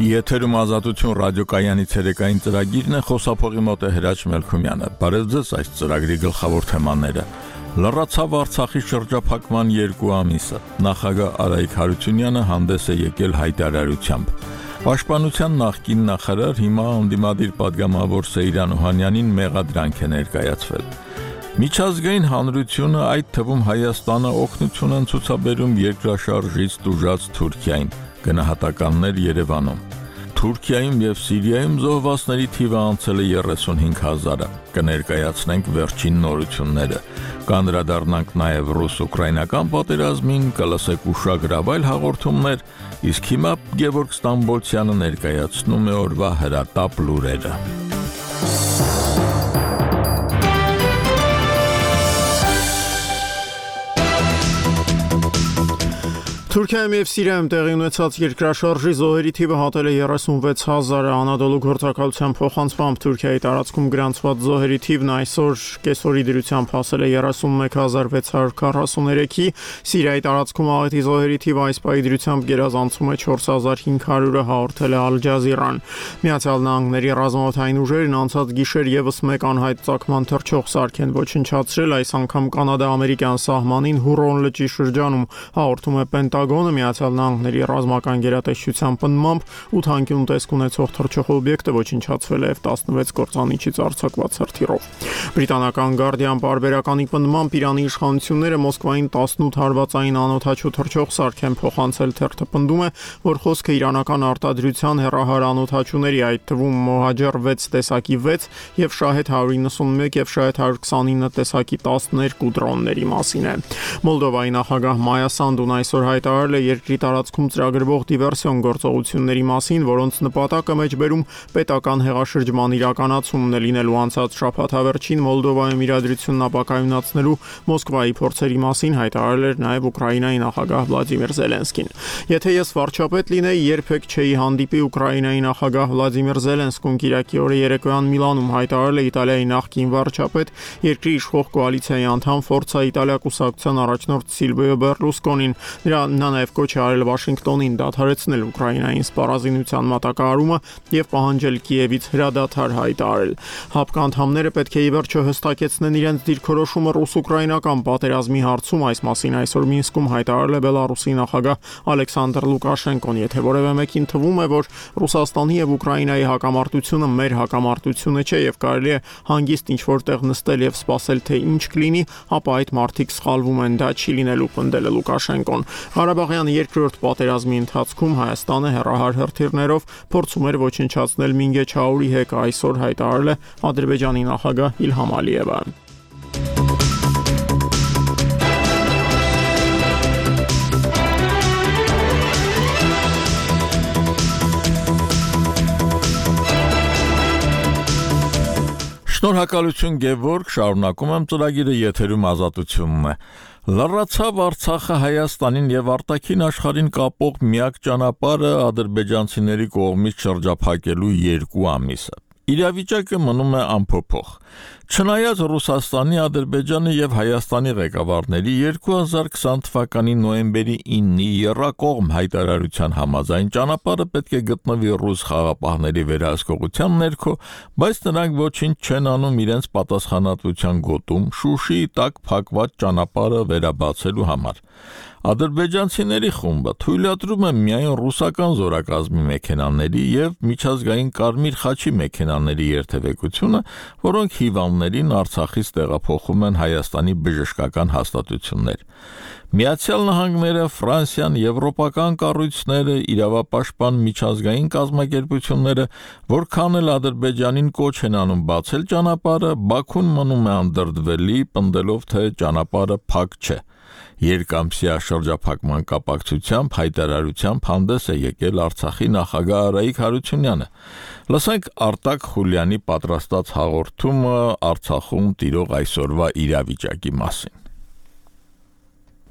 Եթերում ազատություն ռադիոկայանի ցերեկային ծրագիրն է, խոսափողի մոտ է Հրաչ Մելքումյանը։ Բարև ձեզ, այս ծրագրի գլխավոր թեմաները։ Լռացավ Արցախի շրջափակման 2 ամիսը։ Նախագահ Արայիկ Հարությունյանը հանդես է եկել հայտարարությամբ։ Պաշտպանության նախկին նախարար, հիմա անդիմադիր պատգամավոր Սեյրան Օհանյանին մեղադրանք է ներկայացվել։ Միջազգային հանրությունը, այդ թվում Հայաստանը, օգնություն են ցուցաբերում երկրաշարժից տուժած Թուրքիային։ Գնահատականներ Երևանում։ Թուրքիայում եւ Սիրիայում զոհվածների թիվը անցել է 35,000-ը։ Կներկայացնենք վերջին նորությունները։ Կանդրադառնանք նաեւ ռուս-ուկրաինական պատերազմին, կլսեք ուշագրավ հաղորդումներ, իսկ հիմա Գևորգ Ստամբոլցյանը ներկայացնում է օրվա հրատապ լուրերը։ Թուրքիայում եւ Սիրիայում տեղի ունեցած երկրաշարժի զոհերի թիվը հատել է 36,000-ը, Անադոլու գործակալության փոխանցմամբ Թուրքիայի տարածքում գրանցված զոհերի թիվն այսօր կեսօրի դրությամբ հասել է 31,643-ի, Սիրիայի տարածքում աղետի զոհերի թիվը այս պահի դրությամբ գերազանցում է 4,500-ը, հաղորդել է Ալ Ջազիրան։ Միացյալ Նահանգների ռազմաօդային ուժերն անցած գիշեր եւս մեկ անհայտ ծագման թռչող սարք են ոչնչացրել, այս անգամ կանադա-ամերիկյան սահմանին Հուրոն լճի շրջանում, հաղորդում է Պենտագոնը։ Միացյալ Նահանգների ռազմական գերատեսչության պնդմամբ 8 անկյուն տեսք ունեցող թռչող օբյեկտը ոչնչացվել է F-16 կործանիչից արձակված հրթիռով։ Բրիտանական Guardian պարբերականի պնդմամբ Իրանի իշխանությունները Մոսկվային 18 հարվածային անօդաչու թռչող սարք են փոխանցել, թերթը պնդում է, որ խոսքը իրանական արտադրության հեռահար անօդաչուների, այդ թվում Mohajer 6 տեսակի 6 եւ Shahed 191 եւ Shahed 129 տեսակի 12 դրոնների մասին է։ Մոլդովայի նախագահ Մայա Սանդուն այսօր հայտարարել է երկրի տարածքում ծրագրվող դիվերսիոն գործողությունների մասին, որոնց նպատակը մեջբերում պետական հեղաշրջման իրականացումն է լինելու։ Անցած շաբաթավերջին Մոլդովայում իրադրությունն ապակայունացնելու Մոսկվայի փորձերի մասին հայտարարել էր նաև Ուկրաինայի նախագահ Վլադիմիր Զելենսկին։ Եթե ես վարչապետ լինեի, երբեք չէի հանդիպի Ուկրաինայի նախագահ Վլադիմիր Զելենսկուն Կիրակի օրը երեկոյան Միլանում հայտարարել է Իտալիայի նախկին վարչապետ, երկրի իշխող կոալիցիայի անդամ Ֆորցա Իտալիա կուսակցության առաջնորդ Սիլվիո Բերլուսկոնին։ Նա նաև կոչ է արել Վաշինգտոնին դադարեցնել Ուկրաինային սպառազինության մատակարարումը եւ պահանջել Կիևից հրադադար հայտարարել։ ՀԱՊԿ անդամները պետք է ի վերջո հստակեցնեն իրենց դիրքորոշումը ռուս-ուկրաինական պատերազմի հարցում, այս մասին այսօր Մինսկում հայտարարել է Բելարուսի նախագահ Ալեքսանդր Լուկաշենկոն։ Եթե որևէ մեկին թվում է, որ Ռուսաստանի եւ Ուկրաինայի հակամարտությունը մեր հակամարտությունը չէ եւ կարելի է հանգիստ ինչ-որտեղ նստել եւ սպասել, թե ինչ կլինի, ապա այդ մարդիկ սխալվում են, դա չի լինելու, պնդել է Լուկաշենկոն։ Ղարաբաղյան երկրորդ պատերազմի ընթացքում Հայաստանը հեռահար հրթիռներով փորձում էր ոչնչացնել Մինգեչաուրի հեկը, այսօր հայտարարել է Ադրբեջանի նախագահ Իլհամ Ալիևը։ Շնորհակալություն Գևորգ, շարունակում եմ ծրագիրը, եթերում ազատությունն է։ Լռացավ Արցախը Հայաստանին եւ արտաքին աշխարհին կապող միակ ճանապարհը ադրբեջանցիների կողմից շրջափակելու 2 ամիսը։ Իրավիճակը մնում է անփոփոխ։ Չնայած Ռուսաստանի, Ադրբեջանի եւ Հայաստանի ղեկավարների 2020 թվականի նոյեմբերի 9-ի եռակողմ հայտարարության համաձայն ճանապարհը պետք է գտնվի ռուս խաղապահների վերահսկողության ներքո, բայց նրանք ոչինչ չեն անում իրենց պատասխանատվության գոտում Շուշիի տակ փակված ճանապարհը վերաբացելու համար։ Ադրբեջանցիների խումբը թույլատրում է միայն ռուսական զորակազմի մեքենաների եւ միջազգային Կարմիր խաչի մեքենաների երթևեկությունը, որոնք հիվանդներին Արցախից տեղափոխում են Հայաստանի բժշկական հաստատություններ։ Միացյալ Նահանգները, Ֆրանսիան, եվրոպական կառույցները, իրավապաշտպան միջազգային կազմակերպությունները, որքան էլ Ադրբեջանին կոչ են անում բացել ճանապարհը, Բաքուն մնում է անդրդվելի, պնդելով, թե ճանապարհը փակ չէ։ Երկամսյա շրջափակման կապակցությամբ հայտարարությամբ հանդես է եկել Արցախի նախագահ Արայիկ Հարությունյանը։ Լսենք Արտակ Խուլյանի պատրաստած հաղորդումը Արցախում տիրող այսօրվա իրավիճակի մասին։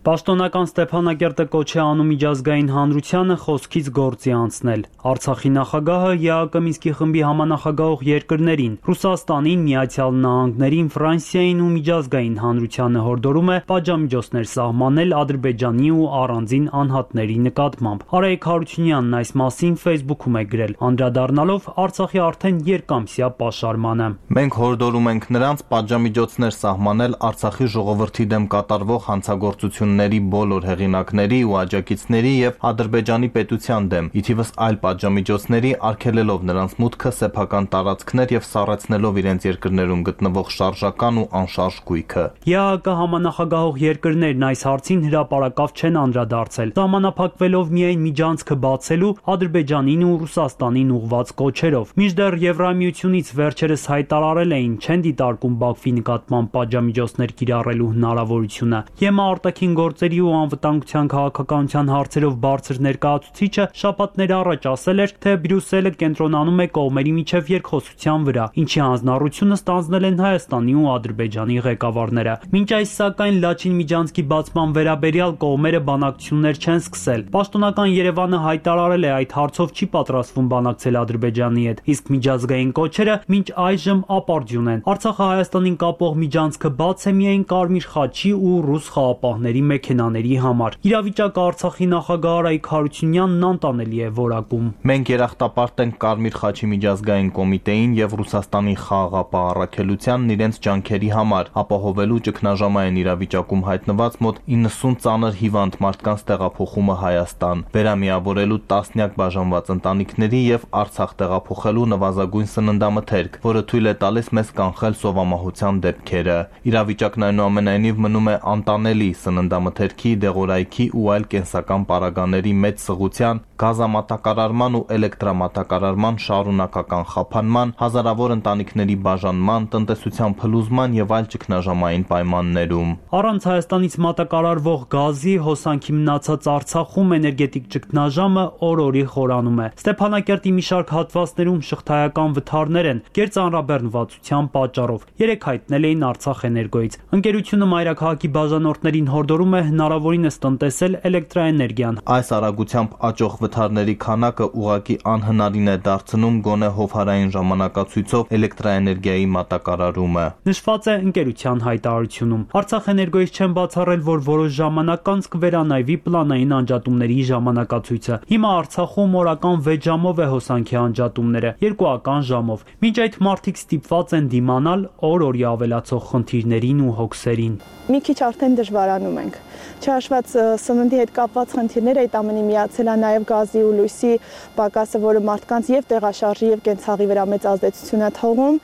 Պաշտոնական Ստեփանակերտը կոչ է անում միջազգային հանրությանը խոսքից գործի անցնել։ Արցախի նախագահը ԵԱԿ Մինսկի խմբի համանախագահող երկրներին՝ Ռուսաստանին, Միացյալ Նահանգներին, Ֆրանսիային ու միջազգային հանրությանը հորդորում է պատժամիջոցներ սահմանել Ադրբեջանի ու առանձին անհատների նկատմամբ։ Արայիկ Հարությունյանն այս մասին Facebook-ում է գրել, անդրադառնալով Արցախի արդեն երկամսյա պաշարմանը։ Մենք հորդորում ենք նրանց պատժամիջոցներ սահմանել Արցախի ժողովրդի դեմ կատարվող հանցագործությունների բոլոր հեղինակների ու աջակիցների եւ Ադրբեջանի պետության դեմ, ի թիվս այլ պատժամիջոցների արգելելով նրանց մուտքը սեփական տարածքներ եւ սառեցնելով իրենց երկրներում գտնվող շարժական ու անշարժ գույքը։ ԵԱԿ համանախագահող երկրներն այս հարցին հրապարակավ չեն անդրադարձել, սահմանափակվելով միայն միջանցքը բացելու Ադրբեջանին ու Ռուսաստանին ուղղված կոչերով։ Մինչդեռ Եվրամիությունից վերջերս հայտարարել էին չեն դիտարկում Բաքվի նկատմամբ պատժամիջոցներ կիրառելու հնարավորությունը։ ԵՄ արտաքին գործերի ու անվտանգության քաղաքականության հարցերով բարձր ներկայացուցիչը շաբաթներ առաջ ասել էր, թե Բրյուսելը կենտրոնանում է կողմերի միջև երկխոսության վրա, ինչի հանձնառությունը ստանձնել են Հայաստանի ու Ադրբեջանի ղեկավարները։ Մինչ այս սակայն Լաչին միջանցքի բացման վերաբերյալ կողմերը բանակցություններ չեն սկսել։ Պաշտոնական Երևանը հայտարարել է այդ հարցով չի պատրաստվում բանակցել Ադրբեջանի հետ, իսկ միջազգային կոչերը մինչ այժմ ապարդյուն են։ Արցախը Հայաստանին կապող միջանցքը բաց է միայն Կարմիր խաչի ու ռուս խաղապահների մեքենաների համար։ Իրավիճակը Արցախի նախագահ Արայիկ Հարությունյանն անտանելի է որակում։ Մենք երախտապարտ ենք Կարմիր խաչի միջազգային կոմիտեին եւ Ռուսաստանի խաղաղապահ առաքելությանն իրենց ջանքերի համար ապահովելու ճգնաժամային իրավիճակում հայտնված մոտ 90 ծանր հիվանդ մարդկանց տեղափոխումը Հայաստան, վերամիավորելու տասնյակ բաժանված ընտանիքների եւ Արցախ տեղափոխելու նվազագույն սննդամթերք, որը թույլ է տալիս մեզ կանխել սովամահության դեպքերը։ Իրավիճակն այնուամենայնիվ մնում է անտանելի, սննդամթերքի, դեղորայքի ու այլ կենսական պարագաների մեծ սղության, գազամատակարարման ու էլեկտրամատակարարման շարունակական խափանման, հազարավոր ընտանիքների բաժանման, տնտեսության փլուզման եւ այլ ճգնաժամային պայմաններում։ Առանց Հայաստանից մատակարարվող գազի հոսանքի մնացած Արցախում էներգետիկ ճգնաժամը օր-օրի խորանում է։ Ստեփանակերտի մի շարք հատվածներում շղթայական վթարներ են կերծանրաբեռնվածության պատճառով։ Երեք հայտնել էին Արցախ էներգոյից։ Ընկերությունը մայրաքաղաքի բաժանորդներին հորդորում է հնարավորինս տնտեսել էլեկտրաէներգիան։ Այս արագությամբ աճող վթարների քանակը ուղղակի անհնարին է դարձնում գոնե հովհարային ժամանակացույցով էլեկտրաէներգիայի մատակարարումը։ Նշված է ընկերության հայտարարությունում։ Արցախ էներգոյից չեն բացառել, որ որոշ ժամանակ անց կվերանայվի պլանային անջատումների ժամանակացույցը։ Հիմա Արցախում օրական 6 ժամով է հոսանքի անջատումները, երկուական ժամով։ Մինչ այդ մարդիկ ստիպված են դիմանալ օր-օրի ավելացող խնդիրներին ու հոգսերին։ Մի քիչ արդեն դժվարանում ենք։ Չհաշված սննդի հետ կապված խնդիրները այդ ամենի միացել է նաև գազի ու լույսի պակասը, որը մարդկանց եւ տեղաշարժի եւ կենցաղի վրա մեծ ազդեցություն է թողում։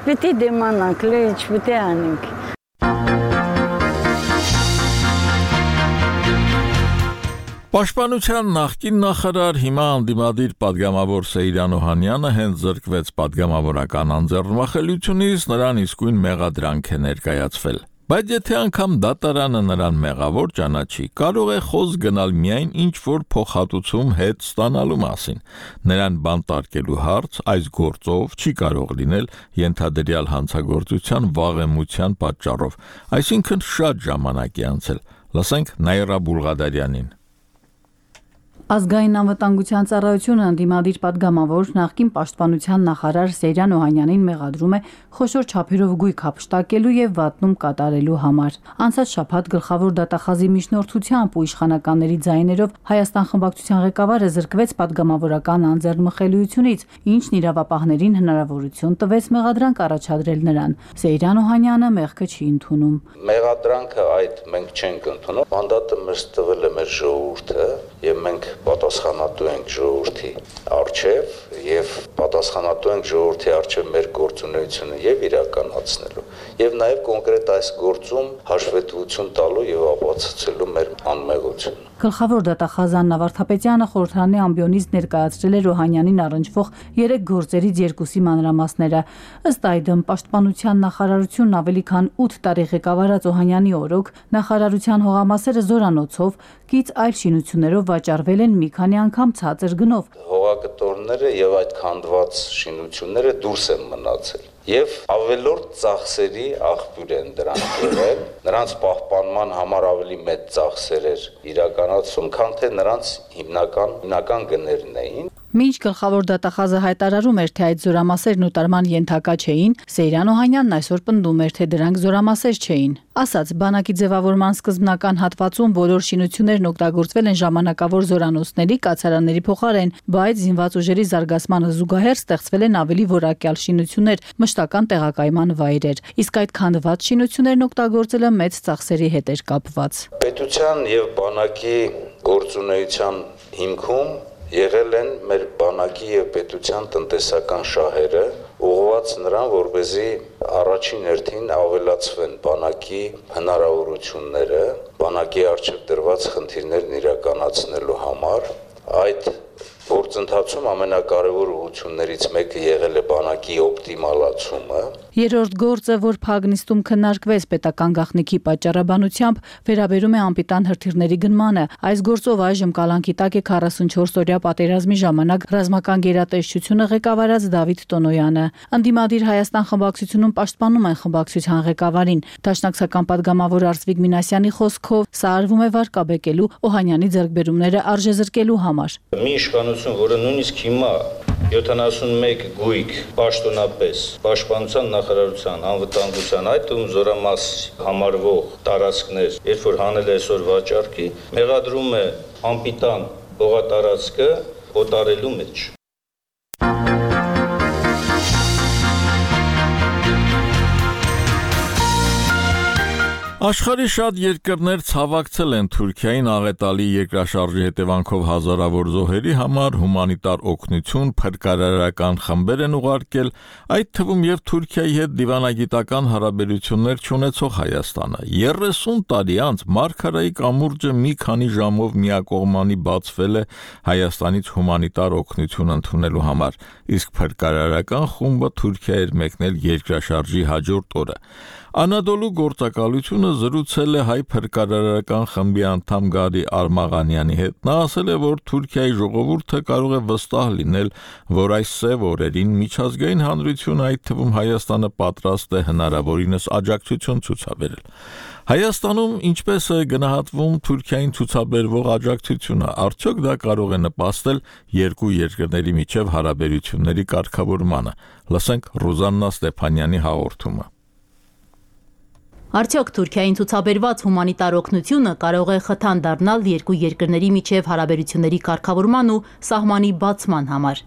Պիտի դիմանանք, ինչ պիտի անենք։ Պաշտպանության նախկին նախարար, հիմա անդիմադիր պատգամավոր Սեյրան Օհանյանը հենց զրկվեց պատգամավորական անձեռնմխելիությունից, նրան իսկույն մեղադրանք է ներկայացվել։ Բայց եթե անգամ դատարանը նրան մեղավոր ճանաչի, կարող է խոսք գնալ միայն ինչ-որ փոխհատուցում հետ ստանալու մասին։ Նրան բանտարկելու հարց այս գործով չի կարող լինել ենթադրյալ հանցագործության վաղեմության պատճառով, այսինքն շատ ժամանակ է անցել։ Լսենք Նաիրա Բուլղադարյանին։ Ազգային անվտանգության ծառայությունը անդիմադիր պատգամավոր նախկին պաշտպանության նախարար Սեյրան Օհանյանին մեղադրում է խոշոր չափերով գույք հափշտակելու եւ վատնում կատարելու համար։ Անցած շաբաթ գլխավոր դատախազի միջնորդությամբ ու իշխանականների ձայներով Հայաստան խմբակցության ղեկավարը զրկվեց պատգամավորական անձեռնմխելիությունից, ինչն իրավապահներին հնարավորություն տվեց մեղադրանք առաջադրել նրան։ Սեյրան Օհանյանը մեղքը չի ընդունում։ Մեղադրանքը այդ մենք չենք ընդունում։ Մանդատը մեզ տվել է մեր ժողովուրդը եւ մենք պատասխանատու ենք ժողովրդի առջև եւ պատասխանատու ենք ժողովրդի առջև մեր գործունեությունը եւ իրականացնելու եւ նաեւ կոնկրետ այս գործում հաշվետվություն տալու եւ ապացուցելու մեր անմեղությունը։ Գլխավոր դատախազ Աննա Վարդապետյանը խորհրդարանի ամբիոնից ներկայացրել էր Օհանյանին առնչվող 3 գործերից 2-ի մանրամասները։ Ըստ այդմ պաշտպանության նախարարությունն ավելի քան 8 տարի ղեկավարած Օհանյանի օրոք նախարարության հողամասերը զորանոցով, կից այլ շինություններով վաճառվել են մի քանի անգամ ցածր գնով։ Հողակտորները եւ այդ քանդված շինությունները դուրս են մնացել։ եւ ավելորդ ծախսերի աղբյուր են դրանք եղել, նրանց պահպանման համար ավելի մեծ ծախսեր իրականացում, քան թե նրանց հիմնական գներն էին։ Մինչ գլխավոր դատախազը հայտարարում էր, թե այդ զորամասերն ուտարման ենթակա չէին, Սեյրան Օհանյանն այսօր պնդում էր, թե դրանք զորամասեր չէին։ Ասաց, բանակի ձևավորման սկզբնական հատվածում բոլոր շինություններն օգտագործվել են ժամանակավոր զորանոցների, կացարանների փոխարեն, բայց զինված ուժերի զարգացմանը զուգահեռ ստեղծվել են ավելի որակյալ շինություններ, մշտական տեղակայման վայրեր։ Իսկ այդ քանդված շինություններն օգտագործելը մեծ ծախսերի հետ էր կապված։ Պետության եւ բանակի գործունեության հիմքում եղել են մեր բանակի եւ պետության տնտեսական շահերը, ուղղված նրան, որպեսզի առաջին հերթին ավելացվեն բանակի հնարավորությունները, բանակի առջև դրված խնդիրներն իրականացնելու համար։ Այդ գործընթացում ամենակարևոր ուղղություններից մեկը եղել է բանակի օպտիմալացումը։ Երրորդ գործը, որ Փագնիստում քննարկվեց պետական գաղտնիքի պատճառաբանությամբ, վերաբերում է անպիտան հրթիռների գնմանը։ Այս գործով այժմ կալանքի տակ է 44-օրյա պատերազմի ժամանակ ռազմական գերատեսչությունը ղեկավարած Դավիթ Տոնոյանը։ Ընդդիմադիր Հայաստան խմբակցությունում պաշտպանում են խմբակցության ղեկավարին։ Դաշնակցական падգամավոր Արծվիկ Մինասյանի խոսքով սա արվում է վարկաբեկելու Օհանյանի ձեռքբերումները արժեզրկելու համար։ Մի իշխանություն, որը նույնիսկ հիմա 71 գույք պաշտոնապես պաշտպանության նախարարության անվտանգության, այդ թվում զորամաս համարվող տարածքներ, երբ որ հանել է այսօր վաճառքի, մեղադրում է անպիտան հողատարածքը օտարելու մեջ։ Աշխարհի շատ երկրներ ցավակցել են Թուրքիային աղետալի երկրաշարժի հետևանքով հազարավոր զոհերի համար հումանիտար օգնություն, փրկարարական խմբեր են ուղարկել, այդ թվում եւ Թուրքիայի հետ դիվանագիտական հարաբերություններ չունեցող Հայաստանը։ 30 տարի անց Մարգարայի կամուրջը մի քանի ժամով միակողմանի բացվել է Հայաստանից հումանիտար օգնություն ընդունելու համար, իսկ փրկարարական խումբը Թուրքիա էր մեկնել երկրաշարժի հաջորդ օրը։ Անադոլու գործակալությունը զրուցել է հայ փրկարարական խմբի անդամ Գարի Արմաղանյանի հետ։ Նա ասել է, որ Թուրքիայի ժողովուրդը կարող է վստահ լինել, որ այս սև օրերին միջազգային հանրությունը, այդ թվում Հայաստանը, պատրաստ է հնարավորինս աջակցություն ցուցաբերել։ Հայաստանում ինչպես է գնահատվում Թուրքիային ցուցաբերվող աջակցությունը, արդյոք դա կարող է նպաստել երկու երկրների միջև հարաբերությունների կարգավորմանը։ Լսենք Ռուզաննա Ստեփանյանի հաղորդումը։ Արդյոք Թուրքիային ցուցաբերված հումանիտար օգնությունը կարող է խթան դառնալ երկու երկրների միջև հարաբերությունների կարգավորման ու սահմանի բացման համար։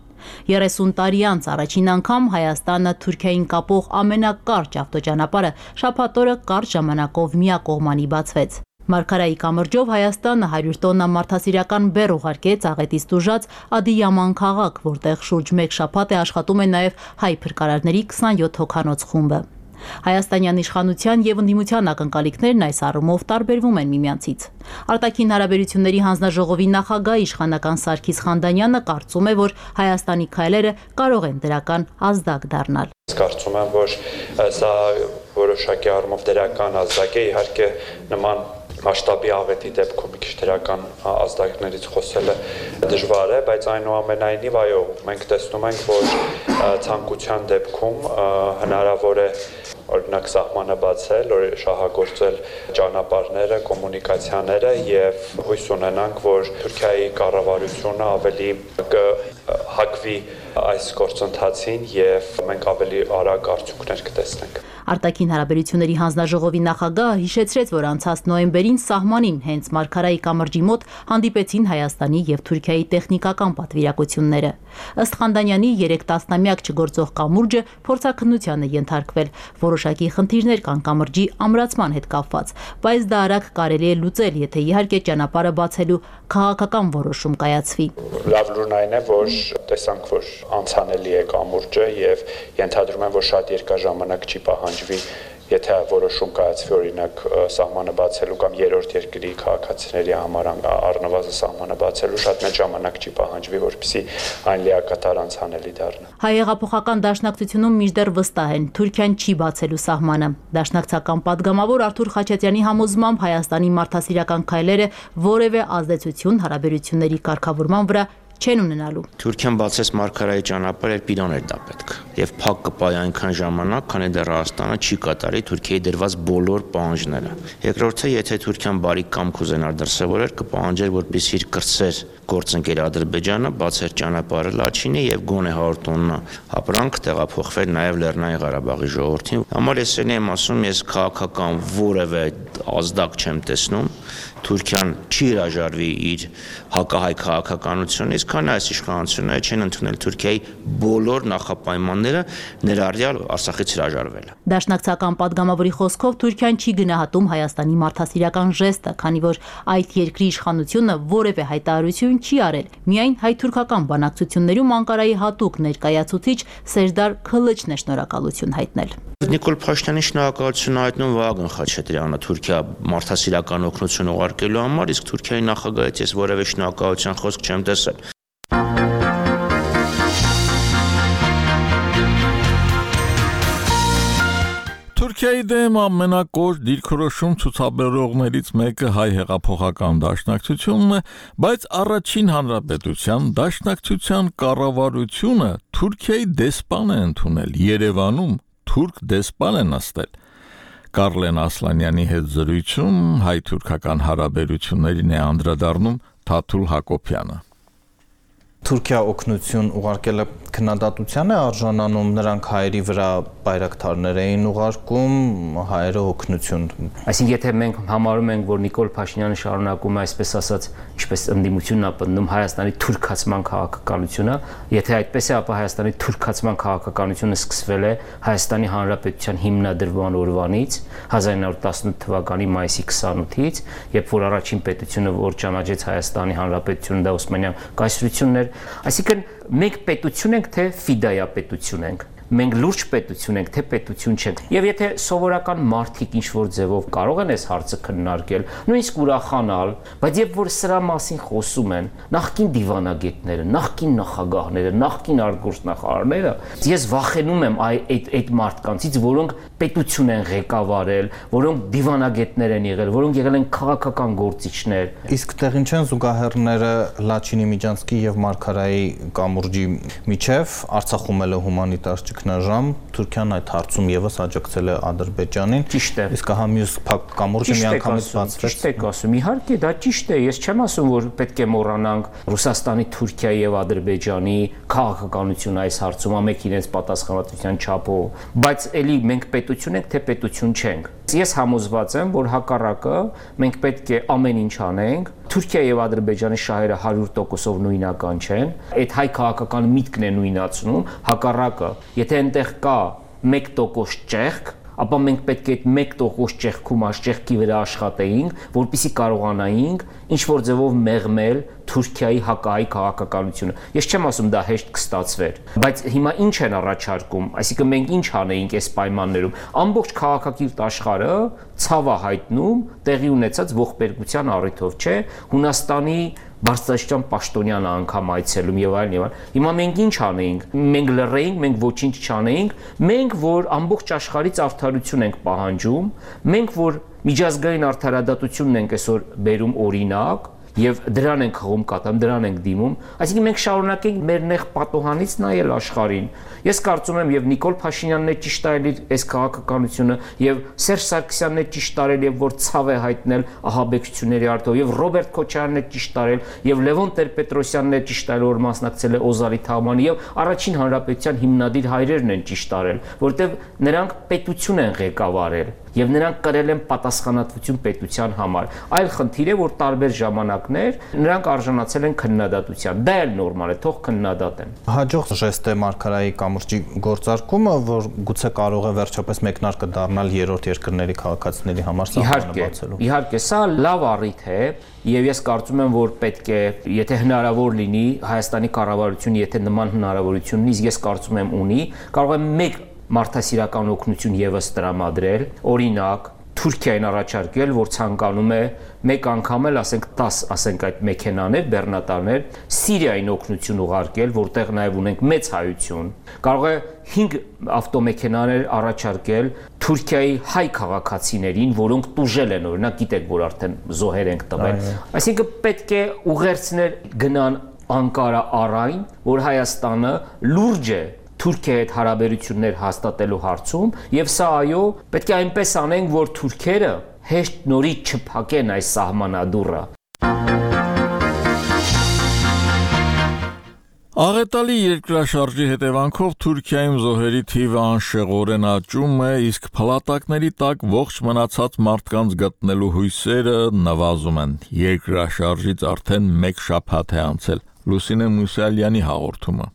30 տարի անց առաջին անգամ Հայաստանը Թուրքիային կապող ամենակարճ ավտոճանապարհը շաբաթ օրը կարճ ժամանակով միակողմանի բացվեց։ Մարգարայի կամրջով Հայաստանը 100 տոննա մարդասիրական բեռ ուղարկեց աղետից տուժած Ադիյաման քաղաք, որտեղ շուրջ 1 շաբաթ է աշխատում է նաև հայ փրկարարների 27 հոգանոց խումբը։ Հայաստանյան իշխանության եւ ընդդիմության ակնկալիքներն այս առումով տարբերվում են միմյանցից։ Արտաքին հարաբերությունների հանձնաժողովի նախագահ իշխանական Սարգիս Խանդանյանը կարծում է, որ Հայաստանի քայլերը կարող են դրական ազդակ դառնալ։ Կարծում եմ, որ սա որոշակի առումով դրական ազդակ է, իհարկե նման մասշտաբի աղետի դեպքում մի քիչ դրական ազդակներից խոսելը դժվար է, բայց այնուամենայնիվ այո, մենք տեսնում ենք, որ ցանկության դեպքում հնարավոր է օրինակ սահմանը բացել, շահագործել ճանապարհները, կոմունիկացիաները եւ հույս ունենանք, որ Թուրքիայի կառավարությունը ավելի կհակվի այս գործընթացին եւ մենք ավելի արագ արդյունքներ կտեսնենք։ Արտաքին հարաբերությունների հանձնաժողովի նախագահը հիշեցրեց, որ անցած նոյեմբերին սահմանին հենց Մարգարայի կամրջի մոտ հանդիպեցին Հայաստանի եւ Թուրքիայի տեխնիկական պատվիրակությունները։ Ըստ Խանդանյանի 3 տասնամյակ չգործող կամուրջը փորձաքննության է ենթարկվել։ Որոշակի խնդիրներ կան կամրջի ամրացման հետ կապված, բայց դա արագ կարելի է լուծել, եթե իհարկե ճանապարհը բացելու քաղաքական որոշում կայացվի։ Լավ լուրն այն է, որ տեսանք, որ անցանելի է կամուրջը եւ ենթադրում եմ, որ շատ երկար ժամանակ չի պահանջվի, եթե որոշում կայացվի օրինակ սահմանը բացելու կամ երրորդ երկրի քաղաքացիների համար առնվազն սահմանը բացելու շատ մեծ ժամանակ չի պահանջվի, որպեսզի այն լիակատար անցանելի դառնա։ Հայ հեղափոխական դաշնակցությունում մինչդեռ վստահ են, Թուրքիան չի բացելու սահմանը։ Դաշնակցական падգամավոր Արթուր Խաչատրյանի համոզմամբ Հայաստանի մարդասիրական քայլերը որևէ ազդեցություն հարաբերությունների կարգավորման վրա չեն ունենալու։ Թուրքիան բացեց մարգարայի ճանապարհը, երբ իրան էր դա պետք։ Եվ փակ կպայի այնքան ժամանակ, քանի դեռ Հայաստանը չի կատարի Թուրքիայի դրված բոլոր պահանջները։ Երկրորդը, եթե Թուրքիան բարի կամք ուզենար դրսևորել, կպահանջեր, որպեսզի իր կրտսեր գործընկեր Ադրբեջանը բացեր ճանապարհը Լաչինի եւ գոնե 100 տոննա ապրանք տեղափոխվեր նաեւ Լեռնային Ղարաբաղի ժողովրդին։ Համար ես եմ ասում, ես քաղաքական որևէ ազդակ չեմ տեսնում։ Թուրքիան չի հրաժարվի իր հակահայ քաղաքականությունից, քան այս իշխանությունները չեն ընդունել Թուրքիայի բոլոր նախապայմանները, ներառյալ Արցախից հրաժարվելը։ Դաշնակցական падգամավորի խոսքով Թուրքիան չի գնահատում Հայաստանի մարդասիրական ժեստը, քանի որ այդ երկրի իշխանությունը որևէ հայտարարություն չի արել։ Միայն հայ-թուրքական բանակցություններում Անկարայի հատուկ ներկայացուցիչ Սերդար Քլիչն է շնորհակալություն հայտնել։ Նիկոլ Փաշինյանի շնորհակալություն հայտնում Վահագն Խաչատրյանը Թուրքիա մարդասիրական օգնություն ուղարկելու համար, իսկ Թուրքիայի նախագահից ես որևէ շնորհակալության խոսք չեմ տեսել։ Թուրքիայի դեմ ամենակոշ դիրքորոշում ցուցաբերողներից մեկը հայ հեղափոխական դաշնակցությունն է, բայց առաջին հանրապետության դաշնակցության կառավարությունը Թուրքիայի դեսպան է ընդունել, Երևանում թուրք դեսպան է նստել։ Կարլեն Ասլանյանի հետ զրույցում հայ-թուրքական հարաբերություններին է անդրադառնում Թաթուլ Հակոբյանը։ Թուրքիա օգնություն ուղարկելը քննադատության է արժանանում, նրանք հայերի վրա բայրակթարներ էին ուղարկում, հայերը օգնություն։ Այսինքն եթե մենք համարում ենք, որ Նիկոլ Փաշինյանը շարունակում է այսպես ասած, ինչպես ընդդիմությունն է պնդում Հայաստանի թուրքացման քաղաքականությունը, եթե այդպես է, ապա Հայաստանի թուրքացման քաղաքականությունը սկսվել է Հայաստանի Հանրապետության հիմնադրման օրվանից 1918 թվականի մայիսի 28-ից, երբ որ առաջին պետությունը, որ ճանաչեց Հայաստանի Հանրապետությունը, դա Օսմանյան կայսրությունն էր։ Այսինքն մենք պետություն ենք, թե ֆիդայա պետություն ենք։ Մենք լուրջ պետություն ենք, թե պետություն չենք։ Եվ եթե սովորական մարդիկ ինչ-որ ձևով կարող են այս հարցը քննարկել, նույնիսկ ուրախանալ, բայց երբ որ սրա մասին խոսում են նախկին դիվանագետները, նախկին նախագահները, նախկին արտգործնախարարները, ես վախենում եմ այդ մարդկանցից, որոնք պետություն են ղեկավարել, որոնք դիվանագետներ են եղել, որոնք եղել են քաղաքական գործիչներ։ Իսկ տեղին չեն զուգահեռները Լաչինի Միջանցքի եւ Մարգարայի կամուրջի միջև Արցախում էլ հումանիտար ճգնաժամ, Թուրքիան այդ հարցում եւս աջակցել է Ադրբեջանին։ Ճիշտ է։ Իսկ հա մյուս կամուրջը միանգամից բացվեց։ Ճիշտ եք ասում, իհարկե դա ճիշտ է, ես չեմ ասում, որ պետք է մոռանանք Ռուսաստանի, Թուրքիայի եւ Ադրբեջանի քաղաքականությունը այս հարցում, ամեն իրենց պատասխանատվության չափով, բայց էլի մենք պետություն ենք, թե պետություն չենք։ Ես համոզված եմ, որ հակառակը մենք պետք է ամեն ինչ անենք։ Թուրքիա եւ Ադրբեջանի շահերը 100%-ով նույնական չեն։ Այդ հայ քաղաքական միտքն է նույնացնում, հակառակը, եթե այնտեղ կա 1% ճեղք, ապա մենք պետք է այդ 1% ճեղքում ճեղքի վրա աշխատեինք, որպեսզի կարողանայինք ինչ-որ ձևով մեղմել Թուրքիայի հակահայ քաղաքականությունը։ Ես չեմ ասում դա հեշտ կստացվեր, բայց հիմա ինչ են առաջարկում, այսինքն մենք ինչ անեինք այս պայմաններում։ Ամբողջ քաղաքակիրթ աշխարհը ցավ է հայտնում տեղի ունեցած ողբերգության առիթով, չէ՞, Հունաստանի Բարձրաստիճան Պաշտոնյանը անգամ այցելում եւ այլն եւ այլն։ Հիմա մենք ինչ անեինք։ Մենք լռեինք, մենք ոչինչ չանեինք։ Մենք, որ ամբողջ աշխարհից արդարություն ենք պահանջում, մենք, որ միջազգային արդարադատությունն ենք այսօր բերում օրինակ, եւ դրան ենք խաղում կատամ, դրան ենք դիմում, այսինքն մենք շարունակենք մեր նեղ պատոհանից նայել աշխարհին։ Ես կարծում եմ եւ Նիկոլ Փաշինյանն է ճիշտ արել այս քաղաքականությունը եւ Սերժ Սարգսյանն է ճիշտ արել եւ որ ցավ է հայտնել ահաբեկչությունների արդյունքով եւ Ռոբերտ Քոչարյանն է ճիշտ արել եւ Լևոն Տեր-Պետրոսյանն է ճիշտ արել, որ մասնակցել է Օզարի թաղմանը եւ առաջին հանրապետության հիմնադիր հայրերն են ճիշտ արել, որտեղ նրանք պետություն են ղեկավարել եւ նրանք կրել են պատասխանատվություն պետության համար։ Այլ խնդիր է, որ տարբեր ժամանակներ նրանք արժանացել են քննադատության։ Դա էլ նորմալ է, թող քննադատեն։ Հաջող ժեստ է Մարգարայի կամուրջի գործարկումը, որ գուցե կարող է վերջապես մեկնարկը դառնալ երրորդ երկրների քաղաքացիների համար սահմանը բացելու։ Իհարկե, սա լավ առիթ է եւ ես կարծում եմ, որ պետք է, եթե հնարավոր լինի, Հայաստանի կառավարությունը, եթե նման հնարավորություն ունի, ես կարծում եմ ունի, կարող է մեկ մարդասիրական օգնություն եւս տրամադրել, օրինակ Թուրքիային առաջարկել, որ ցանկանում է մեկ անգամ էլ, ասենք 10, ասենք այդ մեքենաներ, բեռնատարներ, Սիրիային օգնություն ուղարկել, որտեղ նաեւ ունենք մեծ հայություն։ Կարող է 5 ավտոմեքենաներ առաջարկել Թուրքիայի հայ քաղաքացիներին, որոնք տուժել են, օրինակ գիտեք, որ արդեն զոհեր ենք տվել։ Այսինքն պետք է ուղերձներ գնան Անկարա առայն, որ Հայաստանը լուրջ է Թուրքիայի հետ հարաբերություններ հաստատելու հարցում, եւ սա այո, պետք է այնպես անենք, որ թուրքերը հեշտ նորից չփակեն այս սահմանադուռը։ Աղետալի երկրաշարժի հետևանքով Թուրքիայում զոհերի թիվը անշեղորեն աճում է, իսկ փլատակների տակ ողջ մնացած մարդկանց գտնելու հույսերը նվազում են։ Երկրաշարժից արդեն 1 շաբաթ է անցել։ Լուսինե Մուսալյանի հաղորդումը։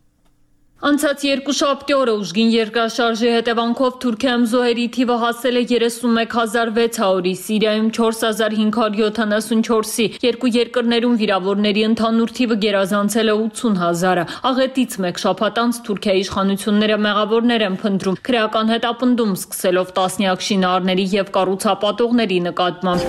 Անցած երկուշաբթի օրը ուժգին երկրաշարժի հետևանքով Թուրքիայում զոհերի թիվը հասել է 31600-ի, Սիրիայում 4574-ի, երկու երկրներում վիրավորների ընդհանուր թիվը գերազանցել է 80000-ը։ Աղետից 1 շաբաթ անց Թուրքիայի իշխանությունները մեղավորներ են փնտրում, քրեական հետապնդում սկսելով տասնյակ շինարարների եւ կառուցապատողների նկատմամբ։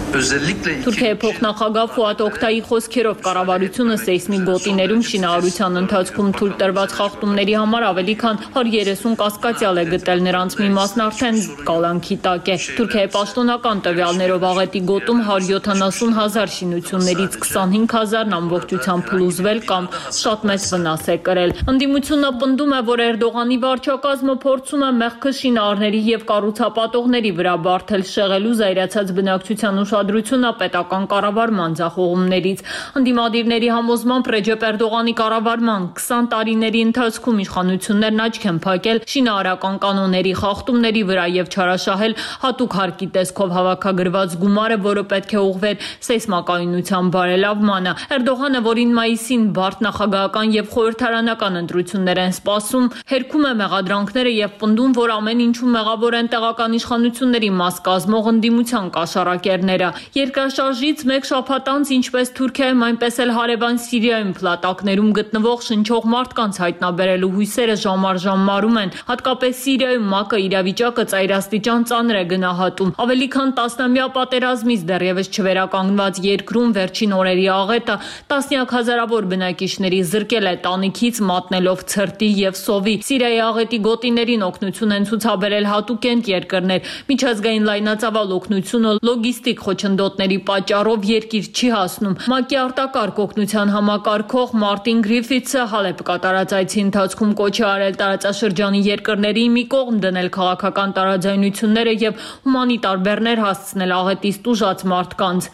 Թուրքիայի փոխնախագահ Ֆուատ Օկտայի խոսքերով կառավարությունը սեյսմիկ գոտիներում շինարարության ընթացքում թույլ տրված խախտումների համար ավելի քան 130 կասկածյալ է գտել, նրանց մի մասն արդեն կալանքի տակ է։ Թուրքիայի պաշտոնական տվյալներով աղետի գոտում 170,000 շինություններից 25,000-ն ամբողջությամբ փլուզվել կամ շատ մեծ վնաս է կրել։ Ընդդիմությունը պնդում է, որ Էրդողանի վարչակազմը փորձում է մեղքը շինարարների եւ կառուցապատողների վրա բարթել, շեղելու զայրացած բնակչության ուշադրությունը պետական կառավարման ձախողումներից։ Ընդդիմադիրների համոզմամբ Ռեջեփ Էրդողանի կառավարման 20 տարիների ընթացքում իշխանություններն աչք են փակել շինարարական կանոնների խախտումների վրա եւ չարաշահել հատուկ հարկի տեսքով հավաքագրված գումարը, որը պետք է ուղղվեր սեյսմակայունության բարելավմանը։ Էրդողանը, որին մայիսին բարդ նախագահական եւ խորհրդարանական ընտրություններ են սպասում, հերքում է մեղադրանքները եւ պնդում, որ ամեն ինչում մեղավոր են տեղական իշխանությունների մաս կազմող ընդդիմության կաշառակերները։ Երկրաշարժից 1 շաբաթ անց, ինչպես Թուրքիայում, այնպես էլ հարևան Սիրիայում փլատակներում գտնվող շնչող մարդկանց հայտնաբերելու հույսերը ժամ առ ժամ մարում են։ Հատկապես Սիրիայում ՄԱԿ-ը իրավիճակը ծայրաստիճան ծանր է գնահատում։ Ավելի քան 10-ամյա պատերազմից դեռևս չվերականգնված երկրում վերջին օրերի աղետը տասնյակ հազարավոր բնակիչների զրկել է տանիքից, մատնելով ցրտի եւ սովի։ Սիրիայի աղետի գոտիներին օգնություն են ցուցաբերել հատուկենտ երկրներ։ Միջազգային լայնածավալ օգնությունը լոգիստիկ խոչընդոտների պատճառով երկիր չի հասնում։ ՄԱԿ-ի արտակարգ օգնության համակարգող Մարտին Գրիֆիթսը Հալեպ կատարած այցի ընթացքում կոչ է արել տարածաշրջանի երկրների մի կողմ դնել քաղաքական տարաձայնությունները եւ հումանիտար բեռներ հասցնել աղետից տուժած մարդկանց։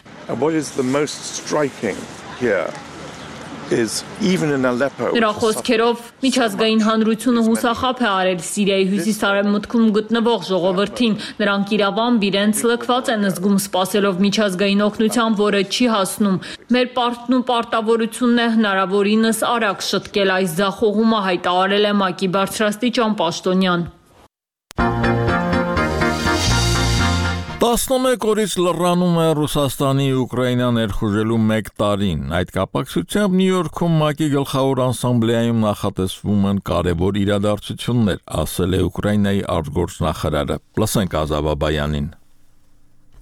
Նրա խոսքերով միջազգային հանրությունը հուսախաբ է արել Սիրիայի հյուսիս-արևմուտքում գտնվող ժողովրդին։ Նրանք իրավամբ իրենց լքված են զգում սպասելով միջազգային օգնության, որը չի հասնում։ Մեր պարտն ու պարտավորությունն է հնարավորինս արագ շտկել այս ձախողումը, հայտարարել է ՄԱԿ-ի բարձրաստիճան պաշտոնյան։ 11 օրից լռանում է Ռուսաստանի Ուկրաինա ներխուժելու 1 տարին։ Այդ կապակցությամբ Նյու Յորքում ՄԱԿ-ի գլխավոր ասամբլեայում նախատեսվում են կարևոր իրադարձություններ, ասել է Ուկրաինայի արտգործնախարարը։ Լսենք Ազավա Բայանին։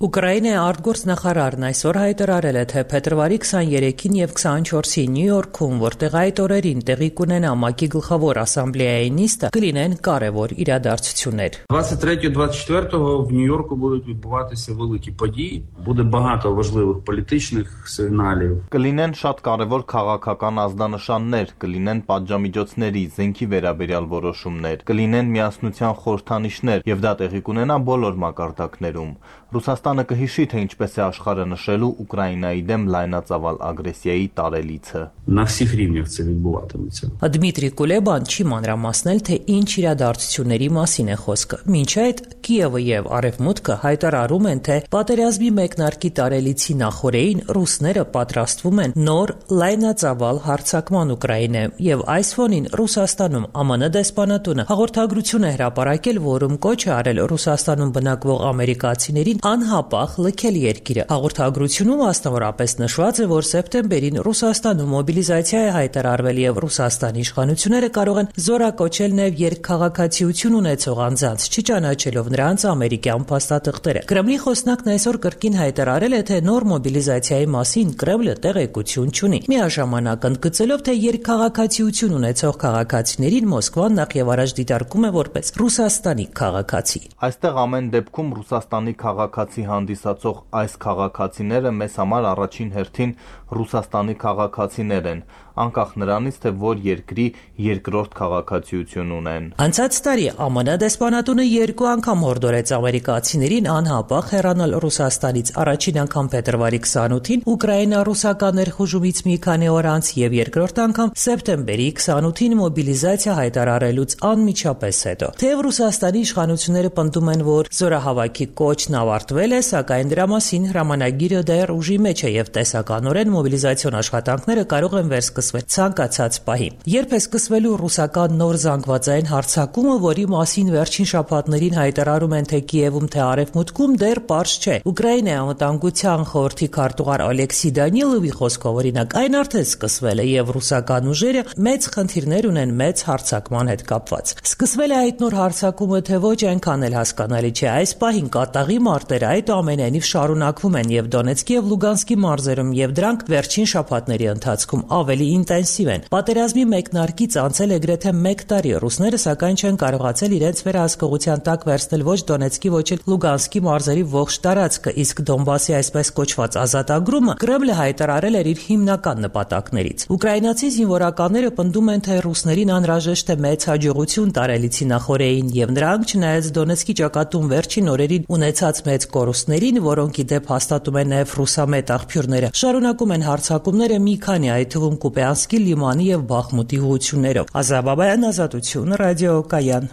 Ուկրաինայի արտգործնախարարն այսօր հայտարարել է, թե փետրվարի 23-ին եւ 24-ին Նյու Յորքում, որտեղ այդ օրերին տեղի կունենա ՄԱԿ-ի գլխավոր ասամբլեայի նիստը, կլինեն կարևոր իրադարձություններ։ 23-24-го в Нью-Йорку будуть відбуватися великі події, буде багато важливих політичних сигналів. Կլինեն շատ կարևոր քաղաքական ազդանշաններ, կլինեն պատժամիջոցների, զենքի վերաբերյալ որոշումներ, կլինեն միասնության խորհրդանիշներ եւ դա տեղի կունենա բոլոր մակարդակներում։ Ռուսաստանը կհիշի, թե ինչպես է աշխարհը նշելու Ուկրաինայի դեմ լայնածավալ ագրեսիայի տարելիցը։ На всіх рівнях це відбуватиметься. Դմիտրի Կուլեբան չի մանրամասնել, թե ինչ իրադարձությունների մասին է խոսքը։ Մինչ այդ Կիևը եւ Արևմուտքը հայտարարում են, թե պատերազմի մեկնարկի տարելիցի նախորդին ռուսները պատրաստվում են նոր լայնածավալ հարձակման Ուկրաինայում եւ այս ֆոնին Ռուսաստանում ԱՄՆ դեսպանատունը հաղորդագրություն է հրապարակել, որում կոչ է արել Ռուսաստանում բնակվող ամերիկացիներին անհապաղ լքել երկիրը։ Հաղորդագրությունում մասնավորապես նշված է, որ սեպտեմբերին Ռուսաստանում մոբիլիզացիա է հայտարարվել եւ Ռուսաստանի իշխանությունները կարող են զորակոչել նաեւ երկքաղաքացիություն ունեցող անձանց, չճանաչելով նրանց ամերիկյան փաստաթղթերը։ Կրեմլի խոսնակն այսօր կրկին հայտարարել է, թե նոր մոբիլիզացիայի մասին Կրեմլը տեղեկություն չունի։ Միաժամանակ ընդգծելով, թե երկքաղաքացիություն ունեցող քաղաքացիներին Մոսկվան նախ եւ առաջ դիտարկում է որպես Ռուսաստանի քաղաքացի։ Այստեղ ամեն դեպքում Ռուսաստանի քաղաքացի հանդիսացող այս քաղաքացիները մեզ համար առաջին հերթին Ռուսաստանի քաղաքացիներ են, անկախ նրանից, թե որ երկրի երկրորդ քաղաքացիություն ունեն։ Անցած տարի ԱՄՆ դեսպանատունը 2 անգամ հորդորեց ամերիկացիներին անհապաղ հեռանալ Ռուսաստանից, առաջին անգամ փետրվարի 28-ին Ուկրաինա-ռուսական ներխուժումից մի քանի օր անց եւ երկրորդ անգամ սեպտեմբերի 28-ին մոբիլիզացիա հայտարարելուց անմիջապես հետո։ Թեև Ռուսաստանի իշխանությունները պնդում են, որ զորահավաքի կոչն ավարտվել է, սակայն դրա մասին հրամանագիրը դեռ ուժի մեջ է եւ տեսականորեն մոբիլիզացիոն աշխատանքները կարող են վերսկսվել ցանկացած պահի։ Երբ է սկսվելու ռուսական նոր զանգվածային հարձակումը, որի մասին վերջին շաբաթներին հայտարարում են թե Կիևում, թե Արևմուտքում, դեռ պարզ չէ։ Ուկրաինայի անվտանգության խորհրդի քարտուղար Ալեքսի Դանիլովի խոսքով, օրինակ, այն արդեն սկսվել է եւ ռուսական ուժերը մեծ խնդիրներ ունեն մեծ հարձակման հետ կապված։ Սկսվել է այդ նոր հարձակումը, թե ոչ, այնքան էլ հասկանալի չէ։ Այս պահին կատաղի մարտերը այդուամենայնիվ շարունակվում են եւ Դոնեցկի եւ Լուգանսկի մարզերում եւ դրանք վերջին շաբաթների ընթացքում ավելի ինտենսիվ են։ Պատերազմի մեկնարկից անցել է գրեթե 1 տարի, ռուսները սակայն չեն կարողացել իրենց վերահսկողության տակ վերցնել ոչ Դոնեցկի, ոչ էլ Լուգանսկի մարզերի ողջ տարածքը, իսկ Դոնբասի այսպես կոչված ազատագրումը Կրեմլը հայտարարել էր իր հիմնական նպատակներից։ Ուկրաինացի զինվորականները պնդում են, թե ռուսներին անհրաժեշտ է մեծ հաջողություն տարելիցի նախօրեին եւ նրանք, չնայած Դոնեցկի ճակատում վերջին օրերին ունեցած մեծ կորուստներին, որոնք ի դեպ հաստատում են նաեւ ռուսամետ աղբյուրները, շարունակում են հարձակումները մի քանի, այդ թվում Կուպյանսկի լիմանի եւ Բախմուտի ուղղություններով։ Ազաբաբայան, Ազատություն, Ռադիո Կայան։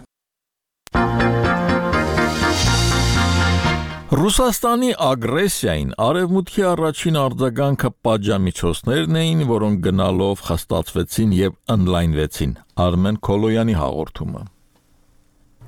Ռուսաստանի ագրեսիային արևմուտքի առաջին արձագանքը պատժամիջոցներն էին, որոնք գնալով խստացվեցին եւ ընդլայնվեցին։ Արմեն Քոլոյանի հաղորդումը։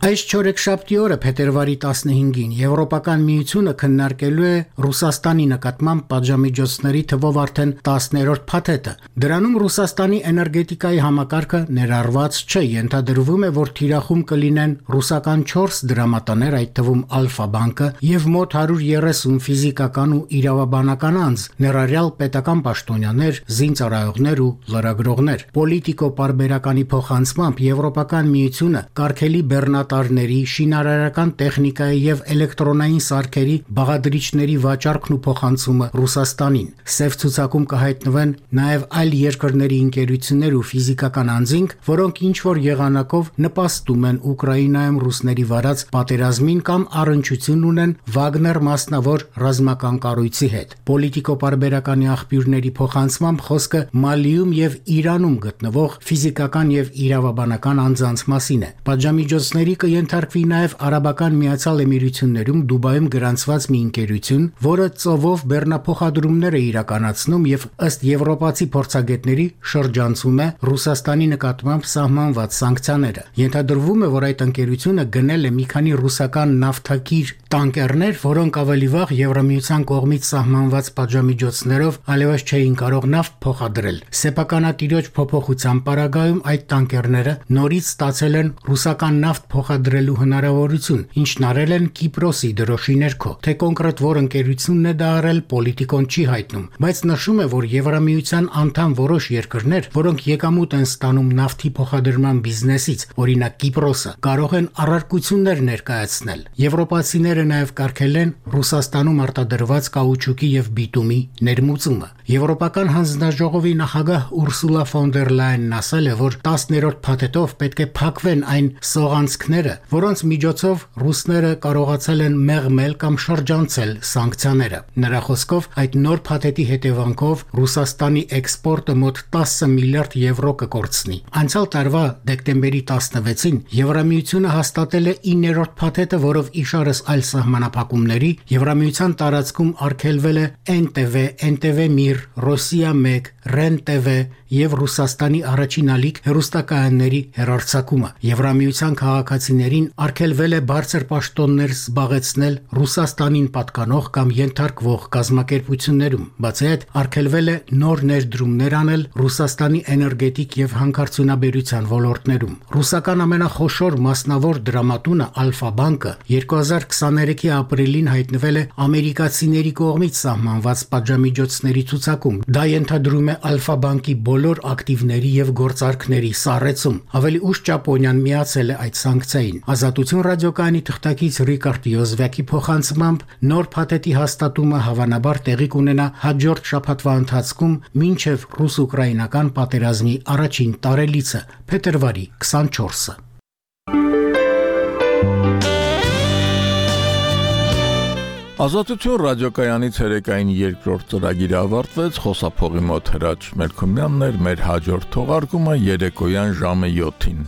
Այս չորեքշաբթի օրը փետրվարի 15-ին Եվրոպական միությունը քննարկելու է Ռուսաստանի նկատմամբ պատժամիջոցների թվով արդեն 10-րդ փաթեթը։ Դրանում Ռուսաստանի էներգետիկայի համակարգը ներառված չէ, ենթադրվում է, որ թիրախում կլինեն ռուսական 4 դրամատներ, այդ թվում Ալֆա բանկը եւ մոտ 130 ֆիզիկական ու իրավաբանական անձ, ներառյալ պետական պաշտոնյաներ, զինծառայողներ ու լրագրողներ։ Պոլիտիկո պարբերականի փոխանցմամբ Եվրոպական միությունը կարգելի բեռնատարների, շինարարական տեխնիկայի եւ էլեկտրոնային սարքերի բաղադրիչների վաճառքն ու փոխանցումը Ռուսաստանին։ Սև ցուցակում կհայտնվեն նաեւ այլ երկրների ընկերություններ ու ֆիզիկական անձինք, որոնք ինչ որ եղանակով նպաստում են Ուկրաինայում ռուսների վարած պատերազմին կամ առնչություն ունեն Վագներ մասնավոր ռազմական կառույցի հետ։ Պոլիտիկո պարբերականի աղբյուրների փոխանցմամբ խոսքը Մալիում եւ Իրանում գտնվող ֆիզիկական եւ իրավաբանական անձանց մասին է։ Պատժամիջոցների կենթարկվի նաև Արաբական Միացյալ Էմիրություններում Դուբայում գրանցված մի ընկերություն, որը ծովով բեռնափոխադրումներ է իրականացնում եւ ըստ եվրոպացի փորձագետների շրջանցում է Ռուսաստանի նկատմամբ սահմանված սանկցիաները։ Ենթադրվում է, որ այդ ընկերությունը գնել է մի քանի ռուսական նավթակիր տանկերներ, որոնք ավելի վաղ Եվրամիության կողմից սահմանված պատժամիջոցներով այլևս չէին կարող նավթ փոխադրել։ Սեփականատիրոջ փոփոխության պարագայում այդ տանկերները նորից ստացել են ռուսական նավթ փոխադրելու հնարավորություն, ինչն արել են Կիպրոսի դրոշի ներքո։ Թե կոնկրետ որ ընկերությունն է դա արել, պոլիտիկոն չի հայտնում, բայց նշում է, որ Եվրամիության անդամ որոշ երկրներ, որոնք եկամուտ են ստանում նավթի փոխադրման բիզնեսից, օրինակ Կիպրոսը, կարող են առարկություններ ներկայացնել։ Եվրոպացիները նաև կարգել են Ռուսաստանում արտադրված կաուչուկի եւ բիտումի ներմուծումը։ Եվրոպական հանձնաժողովի նախագահ Ուրսուլա ֆոն դեր Լայենն ասել է, որ 10-րդ փաթեթով պետք է փակվեն այն սողանցքները, որոնց միջոցով ռուսները կարողացել են մեղմել կամ շրջանցել սանկցիաները։ Նրա խոսքով այդ նոր փաթեթի հետևանքով Ռուսաստանի էքսպորտը մոտ 10 միլիարդ եվրո կկորցնի։ Անցյալ տարվա դեկտեմբերի 16-ին Եվրամիությունը հաստատել է 9-րդ փաթեթը, որով իշարս այլ սահմանափակումների Եվրամիության տարածքում արգելվել է NTV, NTV Mir, Ռոսիա 1, REN-TV եւ Ռուսաստանի առաջին ալիք հեռուստակայանների հեռարձակումը։ Եվրամիության քաղաքացի ամերիկացիներին արգելվել է բարձր պաշտոններ զբաղեցնել Ռուսաստանին պատկանող կամ ենթարկվող կազմակերպություններում։ Բացի այդ, արգելվել է նոր ներդրումներ անել Ռուսաստանի էներգետիկ եւ հանքարդյունաբերության ոլորտներում։ Ռուսական ամենախոշոր մասնավոր դրամատունը Ալֆա բանկը 2023-ի ապրիլին հայտնվել է ամերիկացիների կողմից սահմանված պատժամիջոցների ցուցակում։ Դա ենթադրում է Ալֆա բանկի բոլոր ակտիվների եւ գործարքների սառեցում։ Ավելի ուշ Ճապոնիան միացել է այդ սանկցիային։ Ազատություն ռադիոկայանի թղթակից Ռիկարդ Յոզվեկի փոխանցմամբ նոր փաթեթի հաստատումը հավանաբար տեղի կունենա հաջորդ շաբաթվա ընթացքում մինչև ռուս-ուկրաինական պատերազմի առաջին տարելիցը փետրվարի 24-ը։ Ազատություն ռադիոկայանի ցերեկային երկրորդ ծրագիրը ավարտվեց, խոսափողի մոտ Հրաչ Մելքումյանն էր, մեր հաջորդ թողարկումը երեկոյան ժամը 7-ին։